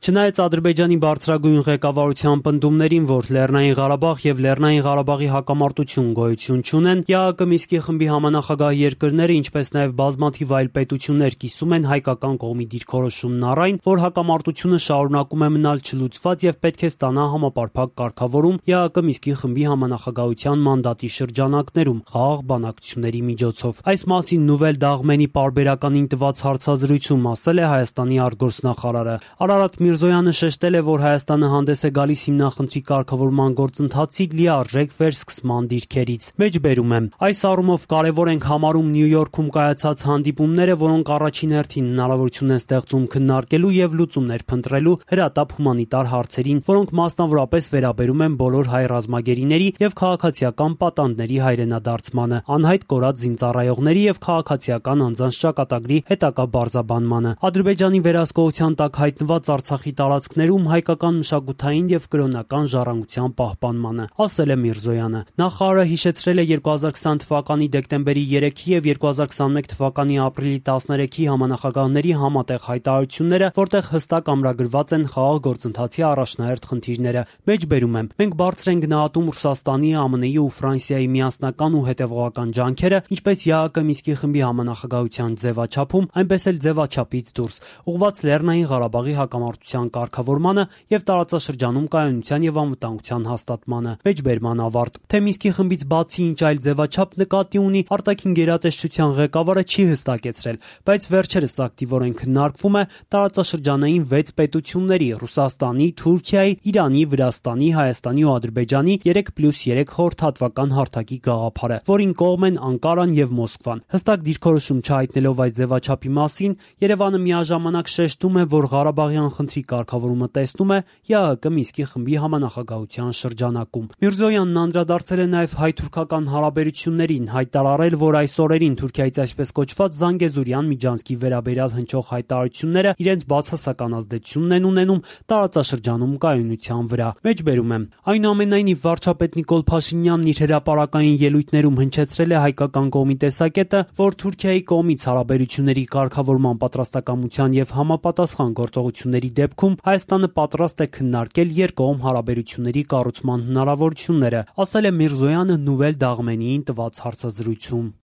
Չնայած Ադրբեջանի բարձրագույն ղեկավարության պնդումներին, որ Լեռնային Ղարաբաղ եւ Լեռնային Ղարաբաղի հակամարտություն գոյություն չունեն, ԵԱՀԿ Մինսկի խմբի համանախագահ երկրները, ինչպես նաեւ բազմաթիվ այլ պետություններ կիսում են հայկական կողմի դիրքորոշումն առ այն, որ հակամարտությունը շարունակում է մնալ չլուծված եւ պետք է ստանա համապարփակ կարգավորում ԵԱՀԿ Մինսկի խմբի համանախագահության մանդատի շրջանակներում խաղաղ բանակցությունների միջոցով։ Այս մասին Նուվել Դաղմենի պարբերականին տված հարցազրույցում ասել է Հայաստանի արտգործնախարարը։ Արարատ Միրզոյանը շեշտել է, որ Հայաստանը հանդես է գալիս հիմնախնդրի կարգավորման գործընթացի լիարժեք վերսկսման դիրքերից։ Մեջբերում եմ. այս առումով կարևոր ենք համարում Նյու Յորքում կայացած հանդիպումները, որոնք առաջին հերթին հնարավորություն են ստեղծում քննարկելու եւ լուծումներ փնտրելու հրատապ հումանիտար հարցերին, որոնք մասնավորապես վերաբերում են բոլոր հայ ռազմագերիների եւ քաղաքացիական պատանդների հայրենադարձմանը, անհայտ կորած զինծառայողների եւ քաղաքացիական անձանց ճակատագրի հետագա բարձաբանմանը, Ադրբեջանի վերահսկողության տակ հայտնված Արցախի տարածքներում հայկական մշակութային եւ կրոնական ժառանգության պահպանմանը, ասել է Միրզոյանը։ Նախարարը հիշեցրել է 2020 թվականի դեկտեմբերի 3-ի եւ 2021 թվականի ապրիլի 13-ի համանախագահների համատեղ հայտարարությունները, որտեղ հստակ ամրագրված են խաղաղ գործընթացի առաջնահերթ խնդիրները։ Մեջբերում եմ. մենք բարձր ենք գնահատում Ռուսաստանի, ԱՄՆ-ի ու Ֆրանսիայի միասնական ու հետևողական ջանքերը, ինչպես ԵԱՀԿ Մինսկի խմբի համանախագահության ձևաչափում, այնպես էլ ձևաչափից դուրս, ուղղված Լեռնային Ղարաբաղի հակամարտության կարգավորմանը եւ տարածաշրջանում կայունության եւ անվտանգության հաստատմանը։ Մեջբերման ավարտ։ Թե Մինսկի խմբից բացի ինչ այլ ձևաչափ նկատի ունի արտաքին գերատեսչության ղեկավարը չի հստակեցրել, բայց վերջերս ակտիվորեն քննարկվում է տարածաշրջանային 6 պետությունների՝ Ռուսաստանի, Թուրքիայի, Իրանի, Վրաստանի, Հայաստանի ու Ադրբեջանի 3+3 խորհրդատվական հարթակի գաղափարը, որին կողմ են Անկարան եւ Մոսկվան։ Հստակ դիրքորոշում չհայտնելով այս ձևաչափի մասին, Երևանը միաժամանակ շեշտում է, որ Ղարաբաղյան խնդրի կարգավորումը տեսնում է ԵԱՀԿ Մինսկի խմբի համանախագահության շրջանակում։ Միրզոյանն անդրադարձել է նաև հայ-թուրքական հարաբերություններին, հայտարարել, որ այս օրերին Թուրքիայից այսպես կոչված Զանգեզուրյան միջանցքի վերաբերյալ հնչող հայտարարությունները իրենց բացասական ազդեցությունն են ունենում տարածաշրջանում կայունության վրա։ Մեջբերում եմ. այնուամենայնիվ վարչապետ Նիկոլ Փաշինյանն իր հրապարակային ելույթներում հնչեցրել է հայկական կողմի տեսակետը, որ Թուրքիայի կողմից հարաբերությունների կարգավորման պատրաստակամության եւ համապատասխան գործողությունների դեպքում Հայաստանը պատրաստ է քննարկել երկկողմ հարաբերությունների կառուցման հնարավորությունները, ասել է Միրզոյանը Նուվել Դաղմենիին տված հարցազրույցում։